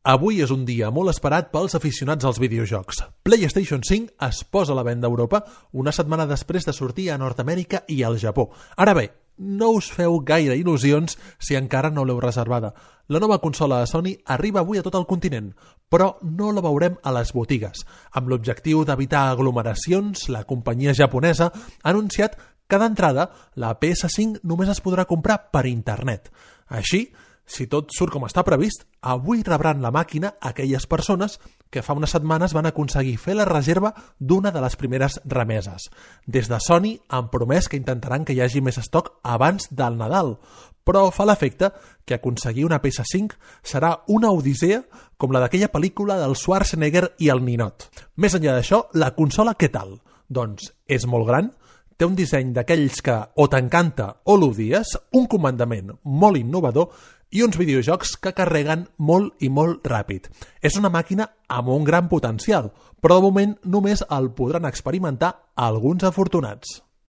Avui és un dia molt esperat pels aficionats als videojocs. PlayStation 5 es posa a la venda a Europa una setmana després de sortir a Nord-Amèrica i al Japó. Ara bé, no us feu gaire il·lusions si encara no l'heu reservada. La nova consola de Sony arriba avui a tot el continent, però no la veurem a les botigues. Amb l'objectiu d'evitar aglomeracions, la companyia japonesa ha anunciat que d'entrada la PS5 només es podrà comprar per internet. Així, si tot surt com està previst, avui rebran la màquina aquelles persones que fa unes setmanes van aconseguir fer la reserva d'una de les primeres remeses. Des de Sony han promès que intentaran que hi hagi més estoc abans del Nadal, però fa l'efecte que aconseguir una PS5 serà una odissea com la d'aquella pel·lícula del Schwarzenegger i el ninot. Més enllà d'això, la consola què tal? Doncs és molt gran, té un disseny d'aquells que o t'encanta o l'odies, un comandament molt innovador i uns videojocs que carreguen molt i molt ràpid. És una màquina amb un gran potencial, però de moment només el podran experimentar alguns afortunats.